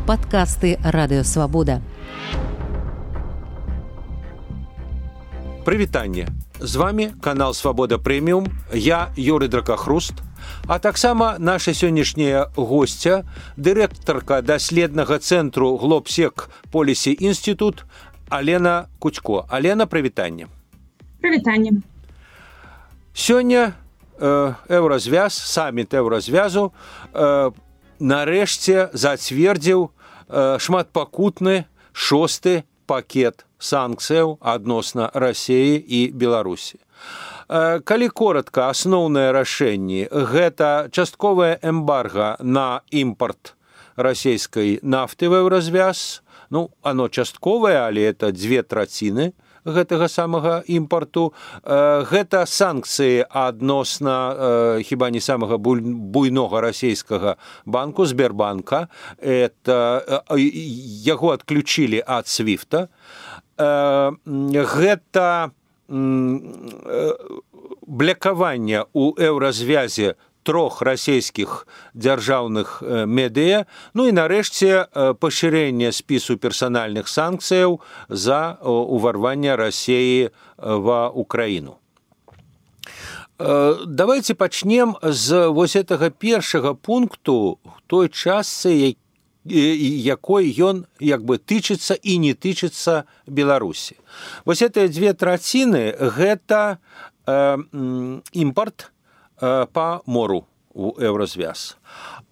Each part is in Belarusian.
Падкасты Радыёвабода. Прывітанне. З вами канал Свабода Прэміум. Я Юрый Дракахруст. А таксама наша сённяшняя госця, дырэктарка даследнага цэнтру Глобсек Полісі Інстытут Алена Куцько. Алена, прывітанне. Прывітанне. Сёння Еўразвяз, саміт Еўразвязу нарэшце зацвердзіў шматпакутны 6-й пакет санкцыяў адносна Расіі і Беларусі. Калі коратка, асноўныя рашэнні – гэта частковае эмбарга на імпарт расійскай нафты в Еўразвяз. Оно частковае, але это 2/3 гэтага самага імпарту. Гэта санкцыі адносна хіба не самага буйнога расійскага банку, Сбербанка. Яго адключілі ад Свифта. Гэта блякаванне ў Еўразвязе 3 расійскіх дзяржаўных медыя, і нарэшце пашырэнне спісу персанальных санкцыяў за уварванне Расіі ва Украіну. Давайте пачнем з вось гэтага першага пункту той частцы, якой ён тычыцца і не тычыцца Беларусі. Вось гэтыя 2/3 гэта імпарт по мору у Еўразвяз.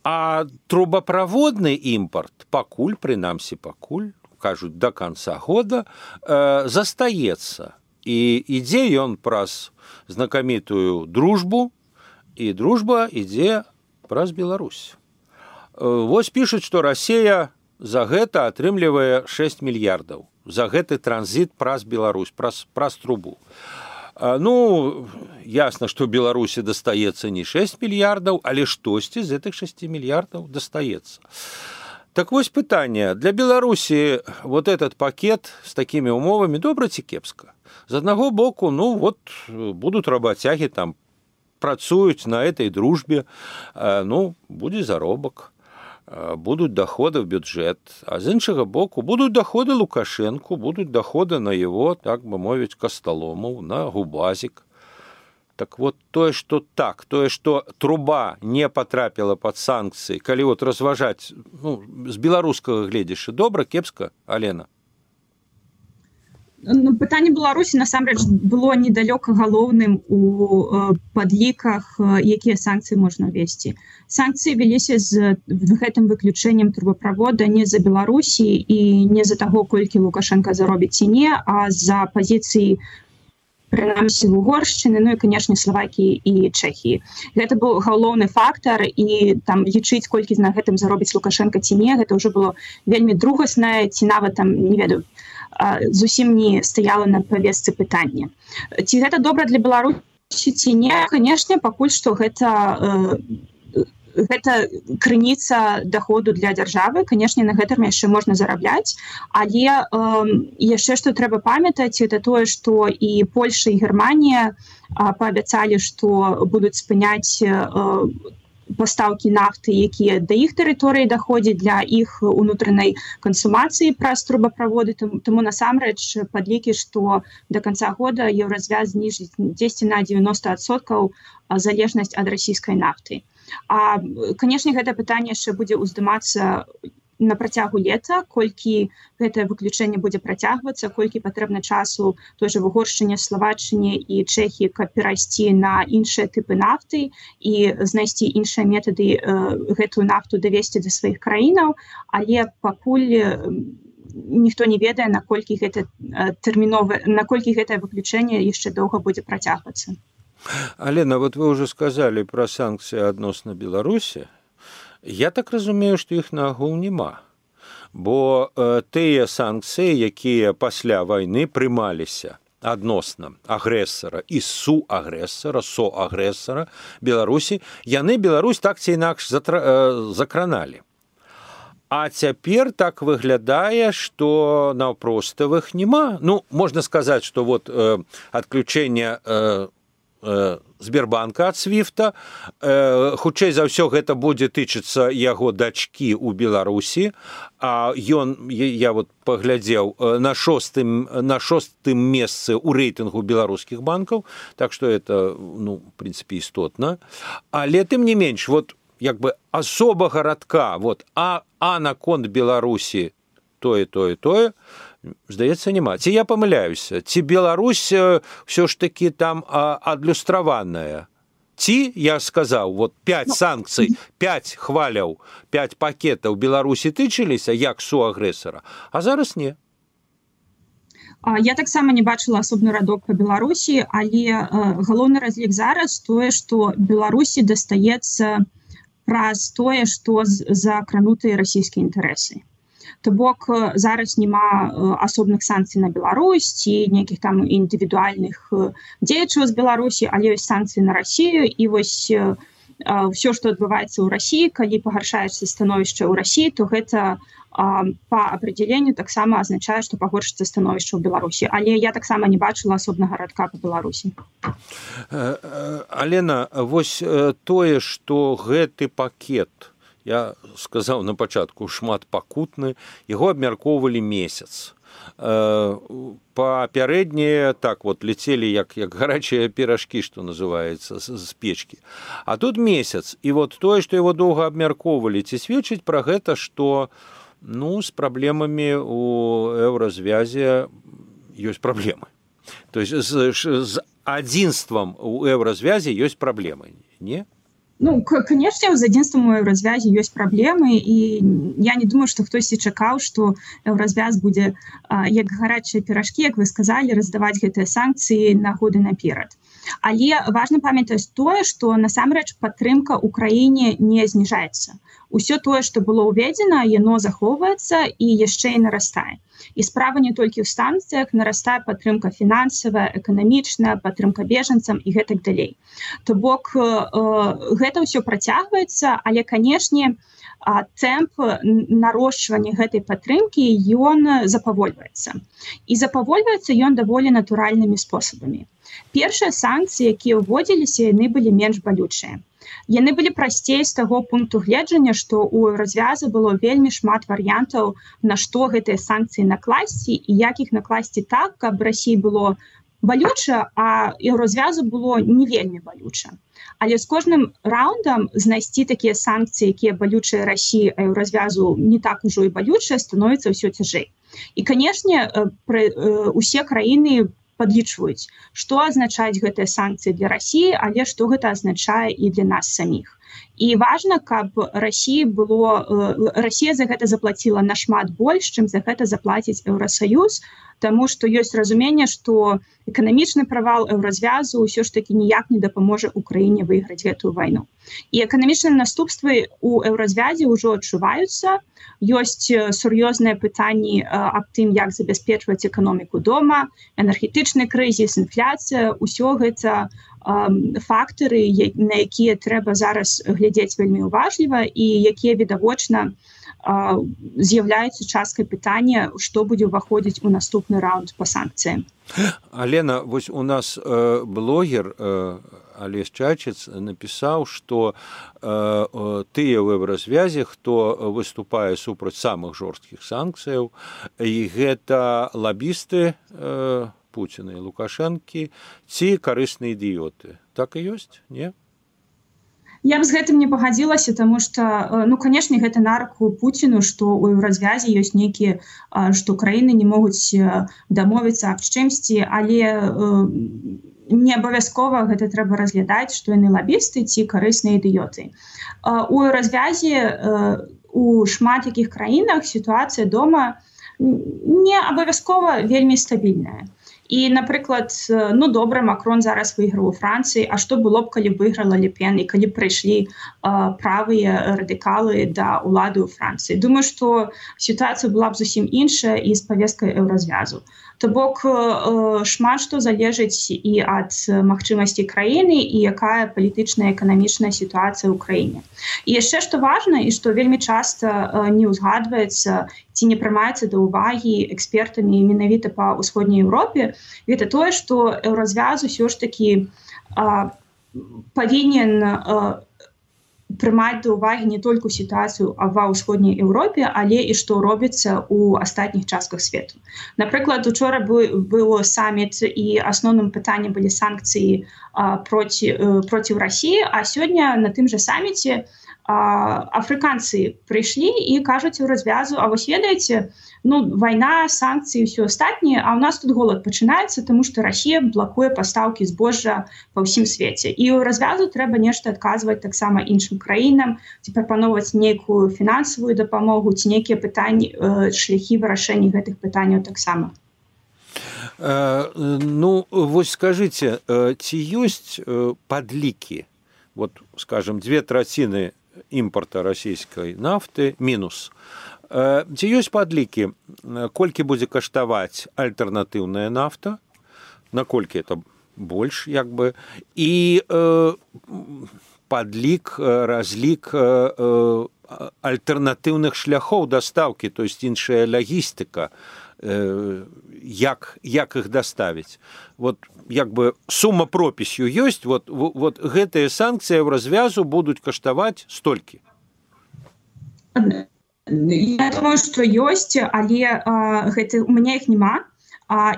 А трубаправодны імпарт пакуль, кажуць, до конца года застаецца. І ідзе ён праз знакамітую дружбу, і дружба ідзе праз Беларусь. Вось пішуць, што Расія за гэта атрымлівае 6 мільярдаў. За гэты транзіт праз Беларусь, праз трубу. Ясна, што Беларусі дастаецца не 6 мільярдаў, але штосьці з гэтых 6 мільярдаў дастаецца. Так вось пытанне. Для Беларусі вот этот пакет з такімі умовамі добра ці кепска? З аднаго боку, будуць работягі там працуюць на этой дружбе, будзе заробак. Будут доходы в бюджет, а з іншага боку будут доходы Лукашенко, будут доходы на его, так бы мовіць, касталомаў, на губазик. Так вот, тое, что труба не потрапіла под санкцыі, калі разважаць, з беларускага гледзяшча, добра, кепска, Алена? Пытанне Беларусі насамрэч было недалёка галоўным у падліках, якія санкцыі можна весці. Санкцыі веліся з гэтым выключэннем трубаправода не за Беларусі і не за таго, колькі Лукашенко заробіць ці не, а за пазіцыі прынамсі Угоршчыны, і, канешне, Славакіі і Чэхіі. Гэта быў галоўны фактар, і там лічыць, колькі на гэтым заробіць Лукашенко ці не, гэта ўжо было вельмі другаснае, ці нават там, не ведаю, зусім не стаяла на павестцы пытання. Ці гэта добра для Беларусі, ці не? Канешне, пакуль што гэта крыніца даходу для дзяржавы. Канешне, на гэтым яшчэ можна зарабляць, але яшчэ што трэба памятаць, это тое, што і Польша, і Германія паабяцалі, што будуць спыняць пастаўкі нафты, якія да іх тэрыторыі даходзяць для іх унутранай кансумацыі праз трубаправоды. Таму насамрэч падлікі, што да канца года Еўразвяз зніжыць 10 на 90% залежнасць ад расійскай нафты. А, канешне, гэта пытанне яшчэ будзе ўздымацца на працягу лета, колькі гэтае выключэнне будзе працягвацца, колькі патрэбна часу той жа в Угоршчыне, Славаччыне і Чэхіі, каб перайсці на іншыя тыпы нафты і знайсці іншыя метады гэтую нафту давесці да сваіх краінаў, але пакуль ніхто не ведае, наколькі гэтае выключэнне яшчэ доўга будзе працягвацца. Алена, вот вы уже сказали про санкции адносна Беларусі. Я так разумею, што іх нагул няма. Бо тыя санкцыі, якія пасля вайны прымаліся адносна агрэсара і соагрэсара Беларусі, яны Беларусь так ці інакш закраналі. А цяпер так выглядае, што наўпроставых няма. Можна сказаць, што адключэнне Сбербанка ад свифта. Хутчэй за ўсё гэта будзе тычыцца яго дачкі ў Беларусі, а ён, я вот паглядзеў, на шостым месцы ў рэйтынгу беларускіх банкаў, так што это, ну, в прынцыпе, істотна. Але тым не менш, вот як бы асобага радка, вот, а наконт Беларусі тое, здаецца, няма. Ці я памыляюся? Ці Беларусь ўсё ж такі там адлюстраваная? Ці, я сказаў, вот 5 санкцый, 5 хваляў, 5 пакетаў Беларусі тычыліся як суагрэсара, а зараз не. Я таксама не бачыла асобны радок па Беларусі, але галоўны разлік зараз тое, што Беларусі дастаецца праз тое, што закранутыя расійскія інтарэсы. То бок зараз няма асобных санкцый на Беларусь ці нейкіх там індывідуальных дзеячаў з Беларусі, але ёсць санкцыі на Расію, і вось ўсё, што адбываецца ў Расіі, калі пагаршаецца становішча ў Расіі, то гэта па апределенню таксама азначае, што пагоршыцца становішча ў Беларусі. Але я таксама не бачыла асобнага радка па Беларусі. Алена, вось тое, што гэты пакет, я сказаў на пачатку, шмат пакутны, яго абмяркоўвалі месяц. Папярэднія так вот лецелі як гарачыя піражкі, што называецца, з печкі. А тут месяц, і вот тое, што яго доўга абмяркоўвалі, ці сведчыць пра гэта, што, ну, з праблемамі у еўразвязе ёсць праблемы. То есть з адзінствам у еўразвязе ёсць праблемы, не? Ну, конечно, з адзінствам у еўразвязе ёсць праблемы, і я не думаю, што хтосьці чакаў, што еўразвяз будзе як гарачыя піражкі, як вы сказалі, раздаваць гэтыя санкцыі на годы наперад. Але важна памятаць тое, што насамрэч падтрымка ў краіне не зніжаецца. Усё тое, што было ўведзена, яно захоўваецца і яшчэ і нарастае. І справа не толькі ў санкцыях, нарастае падтрымка фінансавая, эканамічная, падтрымка бежанцам і гэтак далей. То бок гэта ўсё працягваецца, але, канешне, тэмп нарошчвання гэтай падтрымкі ён запавольваецца. І запавольваецца ён даволі натуральнымі спосабамі. Першыя санкцыі, якія ўводзіліся, яны былі менш балючыя. Яны былі прасцей з таго пункту гледжання, што ў развяза было вельмі шмат варыянтаў, на што гэтыя санкцыі накласці і як іх накласці так, каб Расіі было балюча, а еўразвязу было не вельмі балюча. Але з кожным раундам знайсці такія санкцыі, якія балючыя Расіі, а еўразвязу не так ужо і балючыя, становіцца ўсё цяжэй. І, канешне, усе краіны падлічваюць, што азначаюць гэтыя санкцыі для Расіі, але што гэта азначае і для нас саміх. І важна, каб Расія за гэта заплаціла нашмат больш, чым за гэта заплаціць Еўрасаюз, таму што ёсць разуменне, што эканамічны правал еўразвязу ўсё ж такі ніяк не дапаможа Украіне выйграць гэтую вайну. І эканамічныя наступствы ў еўразвязе ўжо адчуваюцца. Ёсць сур'ёзныя пытанні аб тым, як забяспечваць эканоміку дома, энергетычны крызіс, інфляцыя, усё гэта фактары, на якія трэба зараз глядзець вельмі уважліва і якія відавочна з'яўляюцца часткай пытання, што будзе ўваходзіць у наступны раунд па санкцыям. Алена, вось у нас блогер Олесь Чачец напісаў, што тыя ў еўразвязе, хто выступае супраць самых жорсткіх санкцыяў, і гэта лабісты Пуціна і Лукашэнкі ці карысныя ідыёты. Так і ёсць, не? Я б з гэтым не пагадзілася, таму што, ну, канешне, гэта на руку Пуціну, што ў еўразвязе ёсць нейкія, што краіны не могуць дамовіцца аб чымсьці, але не абавязкова гэта трэба разглядаць, што яны лабісты ці карысныя ідыёты. У еўразвязе у шмат якіх краінах сітуацыя дома не абавязкова вельмі стабільная. І, напрыклад, ну, добра, Макрон зараз выйграў у Францыі, а што было б, калі б выйграла Ле Пен і калі б прыйшлі правыя радыкалы да ўлады ў Францыі. Думаю, што сітуацыя была б зусім іншая і з павесткай еўразвязу. То бок шмат што залежыць і ад магчымасці краіны і якая палітычная і эканамічная сітуацыя ў краіне. І яшчэ што важна і што вельмі часта не ўзгадваецца ці не прымаецца да ўвагі экспертамі менавіта па ўсходняй Еўропе, гэта тое, што еўразвяз усё ж такі павінен прымаць да ўвагі не толькі сітуацыю ва ўсходняй Еўропе, але і што робіцца ў астатніх частках свету. Напрыклад, учора быў саміт і асноўным пытаннем былі санкцыі проціў Расіі, а сёння на тым жа саміце афрыканцы прыйшлі і кажуць у развязу: а вось ведаеце, вайна, санкцыі і ўсё астатняе, а ў нас тут голад пачынаецца, таму што Расія блакуе пастаўкі збожжа па ўсім свеце. І ў развязу трэба нешта адказваць таксама іншым краінам, ці прапаноўваць нейкую фінансавую дапамогу, ці нейкія пытанні, шляхі вырашэння гэтых пытанняў таксама. Вось скажыце, ці ёсць падлікі, скажем, 2/3 імпарта расійскай нафты мінус. Ці ёсць падлікі, колькі будзе каштаваць альтэрнатыўная нафта, наколькі это больш, і падлік, разлік альтэрнатыўных шляхоў дастаўкі, то есть іншая лагістыка, як іх даставіць. Сума пропісю ёсць, гэтыя санкцыі ў развязу будуць каштаваць столькі. Я думаю, што ёсць, але у мяне іх няма.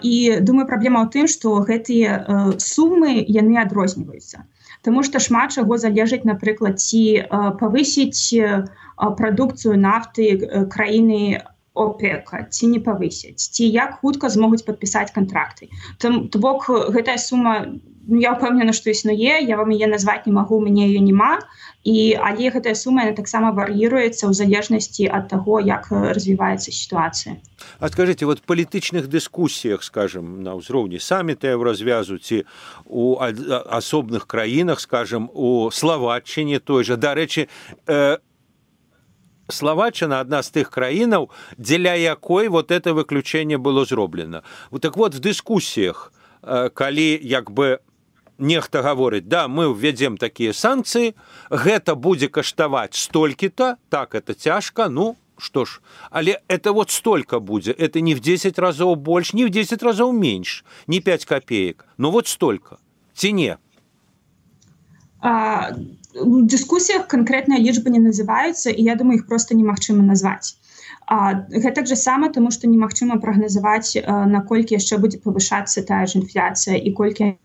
І думаю, праблема ў тым, што гэтыя сумы, яны адрозніваюцца. Таму што шмат чаго залежыць, напрыклад, ці павысіць прадукцыю нафты краіны ОПЕК, ці не павысяць, ці як хутка змогуць падпісаць кантракты. То бок, гэтая сума, я ўпэўнена, што існуе, я вам яе назваць не магу, у мяне яе няма, але гэтая сума таксама вар'іруецца ў залежнасці ад таго, як развіваецца сітуацыя. А скажыце, в палітычных дыскусіях, скажем, на ўзроўні саміта ў развязу, ці у асобных краінах, скажем, у Словаччине той жа, дарэчы, Словаччина одна з тых краінаў, дзеля якой это выключэнне было зроблена. В дыскусіях, калі нехта гаворыць: да, мы ўвядзем такія санкцыі, гэта будзе каштаваць столькі-то, так, это цяжка, што ж, але это столько будзе, это не в 10 разоў больш, не в 10 разоў менш, не 5 копеек, столько, ці не? У дыскусіях канкрэтныя лічбы не называюцца, і я думаю, іх проста немагчыма назваць. Гэта ж сама, таму што немагчыма прагназаваць, наколькі яшчэ будзе павышацца тая ж інфляцыя і колькі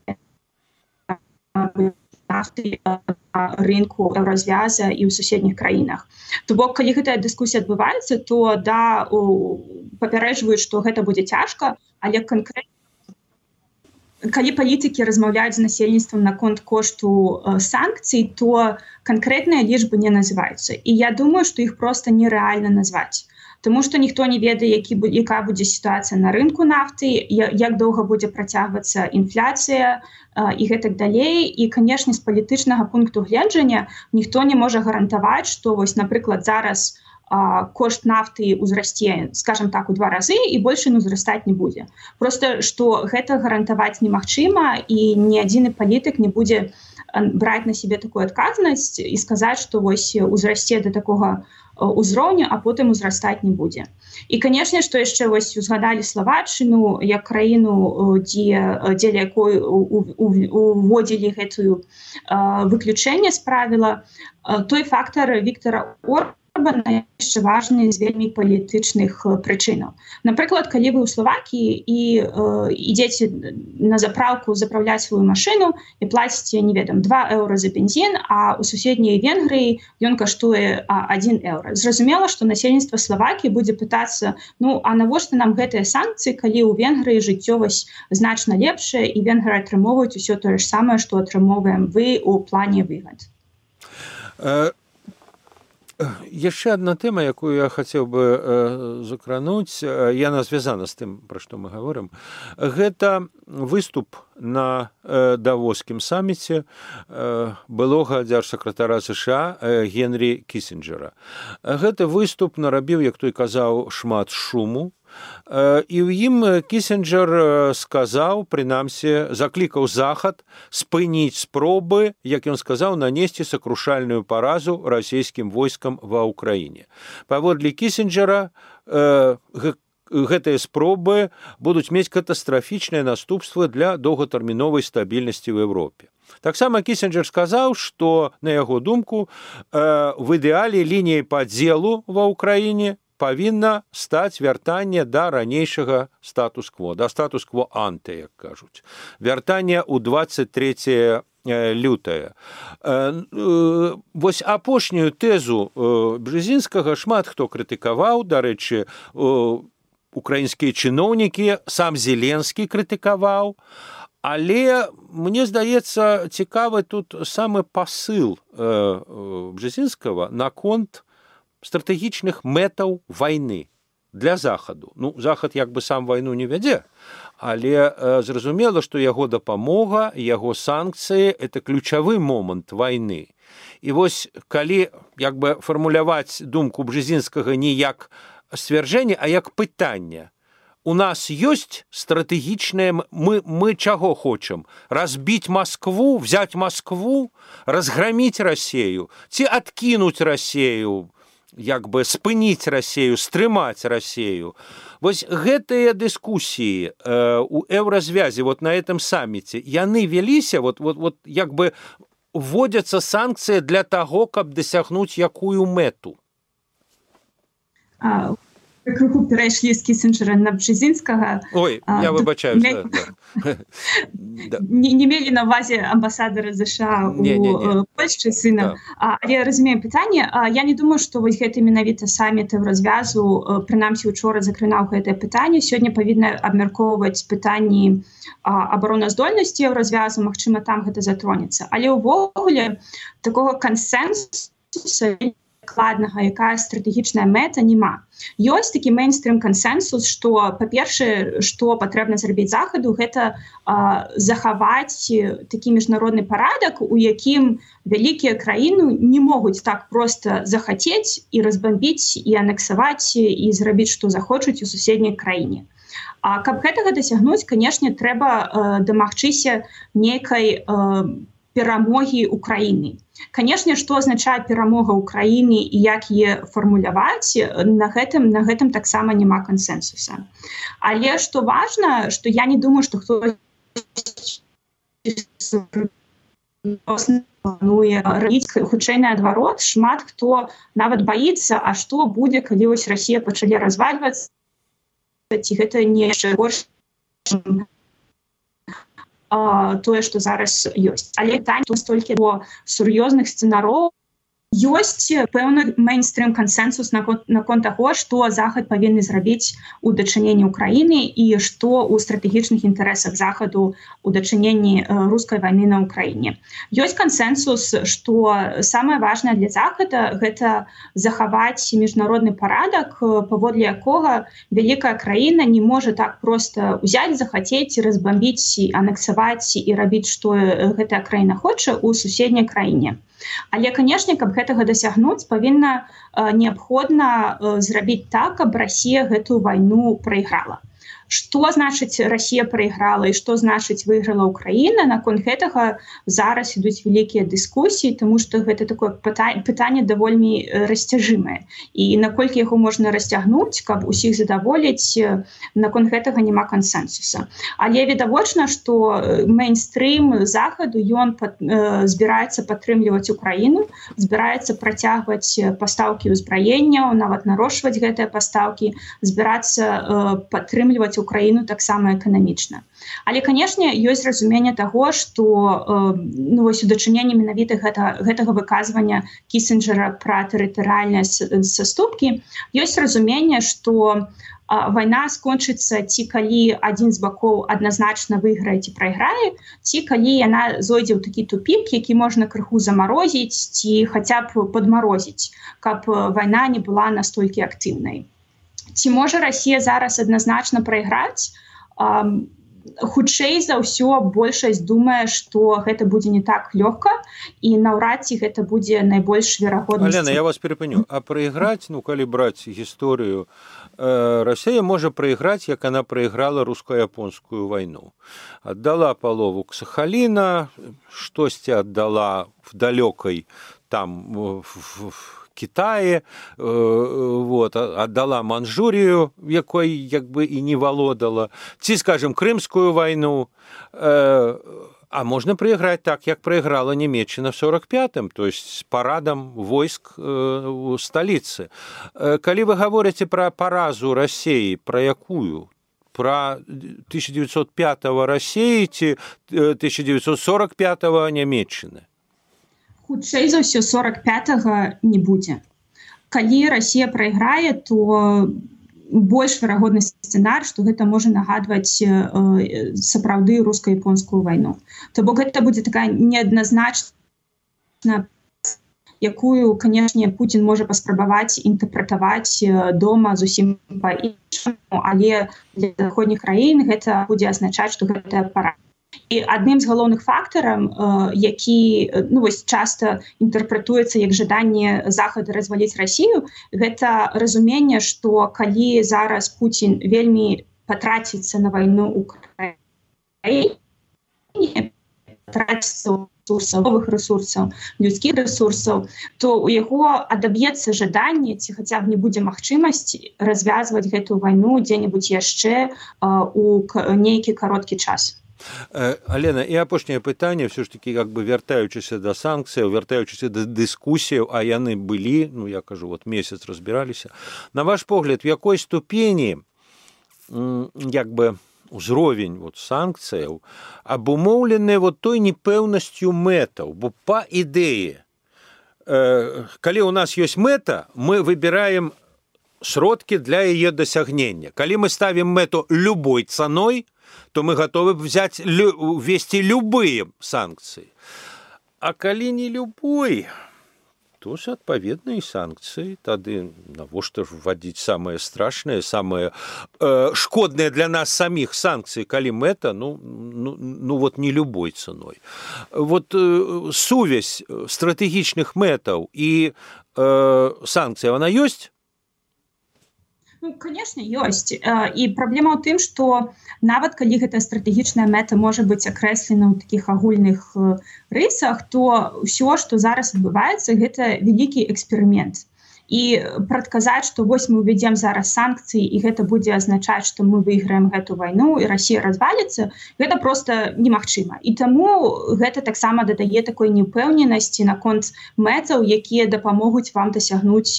нафты рынку развяза і ў суседніх краінах. То бок, калі гэтая дыскусія адбываецца, то папярэджваюць, што гэта будзе цяжка, але канкрэтна калі палітыкі размаўляюць з насельніцтвам наконт кошту санкцый, то канкрэтныя лічбы не называюцца. І я думаю, што іх проста нерэальна назваць. Таму што ніхто не ведае, якая будзе сітуацыя на рынку нафты, як доўга будзе працягвацца інфляцыя і гэтак далей. І, канешне, з палітычнага пункту гледжання ніхто не можа гарантаваць, што, напрыклад, зараз кошт нафты ўзрасце, скажем так, у 2 разы, і больш ён узрастаць не будзе. Проста, што гэта гарантаваць немагчыма, і ні адзіны палітык не будзе браць на сябе такую адказнасць і сказаць, што узрасце да такога ўзроўню, а потым узрастаць не будзе. І, канешне, што яшчэ узгадалі Словаччыну як краіну, дзеля якой уводзілі гэтую выключэнне з правіла, той фактар Віктара Орбана яшчэ важны з вельмі палітычных прычынаў. Напрыклад, калі вы ў Словакіі і ідзеце на запраўку запраўляць сваю машыну і плаціце, 2 еўра за бензін, а ў суседняй Венгрыі ён каштуе 1 еўра. Зразумела, што насельніцтва Словакіі будзе пытацца: а навошта нам гэтыя санкцыі, калі ў Венгрыі жыццё значна лепшае, і венгры атрымоўваюць усё тое ж самае, што атрымоўваем вы ў плане выгад. Яшчэ адна тэма, якую я хацеў бы закрануць, яна звязана з тым, пра што мы гаворым. Гэта выступ на давоскім саміце былога дзяржсакратара США Генрі Кісінджера. Гэты выступ нарабіў, як той казаў, шмат шуму. І ў ім Кісінджер сказаў, прынамсі, заклікаў Захад спыніць спробы, як ён сказаў, нанесці сакрушальную паразу расійскім войскам ва ўкраіне. Паводле Кісінджера, гэтыя спробы будуць мець катастрафічныя наступствы для доўгатэрміновай стабільнасці ў Еўропе. Таксама Кісінджер сказаў, што, на яго думку, в ідэале лініяй падзелу ва ўкраіне павінна стаць вяртанне да ранейшага статус-кво, да статус-кво анте, як кажуць. Вяртанне ў 23 лютае. Вось апошнюю тэзу Бжезінскага шмат хто крытыкаваў, дарэчы, украінскія чыноўнікі, сам Зеленскі крытыкаваў, але, мне здаецца, цікавы тут самы пасыл Бжезінскага наконт стратэгічных мэтаў вайны для Захаду. Ну, Захад як бы сам вайну не вядзе, але зразумела, што яго дапамога, яго санкцыі – это ключавы момант вайны. І вось, калі як бы фармуляваць думку Бжезінскага не як сцвярджэнне, а як пытанне. У нас ёсць стратэгічнае, мы чаго хочам? Разбіць Москву, взять Москву, разгроміць Россию, ці адкінуць Россию, як бы спыніць Россию, стрымаць Россию. Вось гэтыя дыскусіі у еўразвязі вот на этом самміце, яны веліся, вот як бы вводзяцца санкцыі для таго, каб дасягнуць якую мэту? Крыху перайшлі з Кісінджера на Бжезінскага. Ой, я выбачаюся. Не мелі на ўвазе амбасадары США у Польшчы сына. Але разумеем пытанне. Я не думаю, што вось гэта менавіта самміт еўразвязу, прынамсі учора закранаў гэтае пытанне. Сёння павінна абмяркоўваць пытанні абароназдольнасці еўразвязу, магчыма, там гэта затронецца. Але ўвогуле такога кансэнсуса дакладнага, якая стратэгічная мэта, няма. Ёсць такі мейнстрым кансэнсус, што, па-першае, што патрэбна зрабіць Захаду, гэта захаваць такі міжнародны парадак, у якім вялікія краіны не могуць так проста захацець і разбамбіць, і анексаваць, і зрабіць, што захочуць у суседняй краіне. А каб гэтага дасягнуць, канешне, трэба дамагчыся нейкай перамогі Украіны. Канешне, што азначае перамога Украіны і як яе фармуляваць, на гэтым таксама няма кансэнсуса. Але што важна, што я не думаю, што хтось плануе рабіць, хутчэй наадварот, шмат хто нават баіцца, а што будзе, калі вось Расія пачалі развальвацца, ці гэта не яшчэ горш тое, што зараз ёсць. Але там столькі до сур'ёзных сцэнароў ёсць пэўны мейнстрым кансэнсус наконт таго, што Захад павінны зрабіць у дачыненні Украіны і што ў стратэгічных інтарэсах Захаду у дачыненні рускай вайны на Украіне. Ёсць кансэнсус, што самае важнае для Захада гэта захаваць міжнародны парадак, паводле якога вялікая краіна не можа так проста ўзяць, захацець, разбамбіць, анексаваць і рабіць, што гэтая краіна хоча ў суседняй краіне. Але, канешне, каб гэтага дасягнуць, павінна неабходна зрабіць так, каб Расія гэтую вайну прайграла. Што значыць Расія прайграла і што значыць выйграла Украіна, наконт гэтага зараз ідуць вялікія дыскусіі, таму што гэта такое пытанне даволі расцяжымае. І наколькі яго можна расцягнуць, каб усіх задаволіць, наконт гэтага няма кансэнсуса. Але відавочна, што мейнстрым Захаду, ён збіраецца падтрымліваць Украіну, збіраецца працягваць пастаўкі ўзбраенняў, нават нарошчваць гэтыя пастаўкі, збірацца падтрымліваць Украіну таксама эканамічна. Але, канешне, ёсць разуменне таго, што вось у дачыненні менавіта гэтага выказвання Кісінджера пра тэрытарыяльныя саступкі, ёсць разуменне, што вайна скончыцца ці калі адзін з бакоў адназначна выйграе ці прайграе, ці калі яна зойдзе ў такі тупік, які можна крыху замарозіць ці хаця б падмарозіць, каб вайна не была настолькі актыўнай. Ці можа Расія зараз адназначна прайграць? Хутчэй за ўсё большасць думае, што гэта будзе не так лёгка і наўрад ці гэта будзе найбольш верагоднасць. Алена, я вас перапыню. А прайграць, калі браць гісторыю, Расія можа прайграць, як она прайграла руска-японскую вайну. Аддала палову Сахаліна, штосьці аддала в далёкай там в Китае, аддала Манчжурію, якой як бы і не валодала, ці, скажем, Крымскую вайну. А можно проиграть так, как проиграла Німеччына в 45-м, то есть с парадом войск у столицы. Коли вы говорите про поразу России, про якую? Про 1905-го России ці 1945-го Німеччыны? Хутчэй за ўсё 45-го не будзе. Калі Россия прайграе, то больш верагодны сцэнар, што гэта можа нагадваць сапраўды руска-японскую вайну. То бок гэта будзе такая неадназначная, якую, канешне, Путін можа паспрабаваць інтэрпрэтаваць дома зусім па-іншаму, але для заходніх краін гэта будзе азначаць, што гэта пара. І адным з галоўных фактараў, які часта інтэрпрэтуецца як жаданне Захада разваліць Расію, гэта разуменне, што калі зараз Путін вельмі патраціцца на вайну ў краіне, патраціцца новых ресурсаў, людскіх ресурсаў, то у яго адаб'ецца жаданне ці хаця б не будзе магчымасць развязваць гэтую вайну дзе-небудзь яшчэ у нейкі кароткі час. Алена, і апошняе пытанне, все ж таки, как бы вяртаючыся да санкцыяў, вяртаючыся да дыскусіяў, а яны былі, я кажу, месяц разбіраліся. На ваш погляд, в якой ступені як бы узровень санкцыяў абумоўлены той непэўнасцю мэтаў, бо па ідэі, калі у нас ёсць мэта, мы выбираем сродкі для яе дасягнення. Калі мы ставім мэту любой цаной, то мы готовы ввести любые санкции. А калі не любой, то ж адпаведныя санкцыі. Тады навошта ж вводзіць самае страшнае, самае шкоднае для нас саміх санкцыі, калі мэта, не любой цаной. Сувязь стратэгічных мэтаў і санкцый, она ёсць? Конечно, ёсць. І праблема ў тым, што нават калі гэта стратэгічная мэта можа быць акрэслена ў такіх агульных рысах, то ўсё, што зараз адбываецца, гэта вялікі эксперымент. І прадказаць, што вось мы ўвядзем зараз санкцыі, і гэта будзе азначаць, што мы выйграем гэту вайну, і Расія разваліцца, гэта проста немагчыма. І таму гэта таксама дадае такой неўпэўненасці наконт мэтаў, якія дапамогуць вам дасягнуць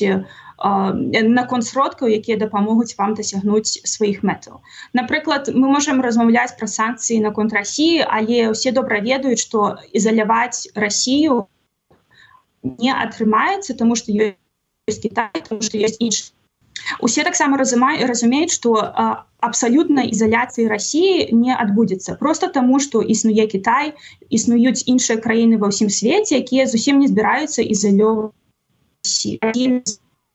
наконт сродкаў, якія дапамогуць вам дасягнуць сваіх мэтаў. Напрыклад, мы можам размаўляць пра санкцыі наконт Расіі, але ўсе добра ведаюць, што ізаляваць Расію не атрымаецца, таму што ёсць Кітай, таму што ёсць іншыя. Усе таксама разумеюць, што абсалютна ізаляцыі Расіі не адбудзецца. Проста таму, што існуе Кітай, існуюць іншыя краіны ва ўсім свеце, якія зусім не збіраюцца ізалёўваць Расію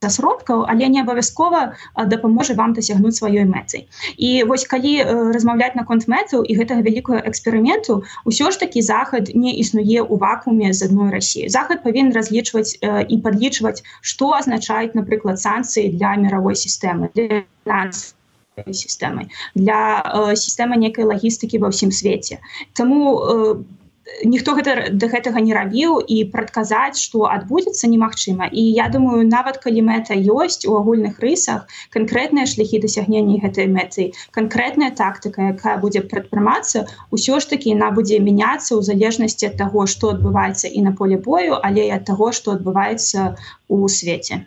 сродкаў, але не абавязкова дапаможа вам дасягнуць сваёй мэты. І вось калі размаўляць наконт мэтаў і гэтага вялікага эксперыменту, усё ж такі Захад не існуе ў вакууме з адной Расіі. Захад павінен разлічваць і падлічваць, што азначаюць, напрыклад, санкцыі для міравой сістэмы, для фінансавай сістэмы, для сістэмы некай лагістыкі ва ўсім свеце. Таму ніхто да гэтага не рабіў, і прадказаць, што адбудзецца, немагчыма. І я думаю, нават калі мэта ёсць у агульных рысах, канкрэтныя шляхі дасягнення гэтай мэты, канкрэтная тактыка, якая будзе прадпрымацца, усё ж такі яна будзе мяняцца ў залежнасці ад таго, што адбываецца і на поле бою, але і ад таго, што адбываецца ў свеце.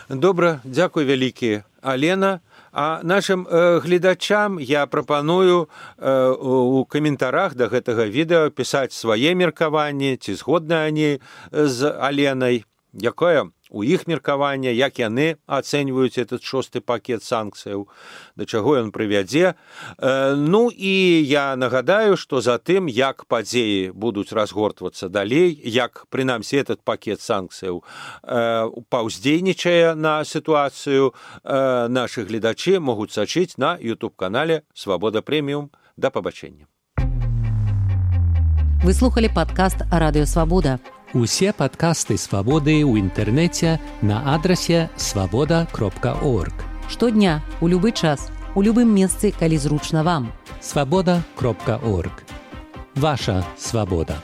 Добра, дзякуй вялікі, Алена. А нашим гледачам я прапаную у каментарах да гэтага відэа пісаць свае меркаванні, ці згодныя они з Аленай, якое у іх меркаванне, як яны ацэньваюць этот 6-й пакет санкцыяў, да чаго ён прывядзе. І я нагадаю, што за тым, як падзеі будуць разгортвацца далей, як, прынамсі, этот пакет санкцыяў паўздзейнічае на сітуацыю, нашы гледачы могуць сачыць на YouTube-канале «Свабода Прэміум». Да пабачэння. Вы слухали падкаст «Радыё Свабода». Усе падкасты «Свабоды» ў інтэрнэце на адрасе свабода.орг. Штодня, у любы час, у любым месцы, калі зручна вам. Свабода.орг. Ваша свабода.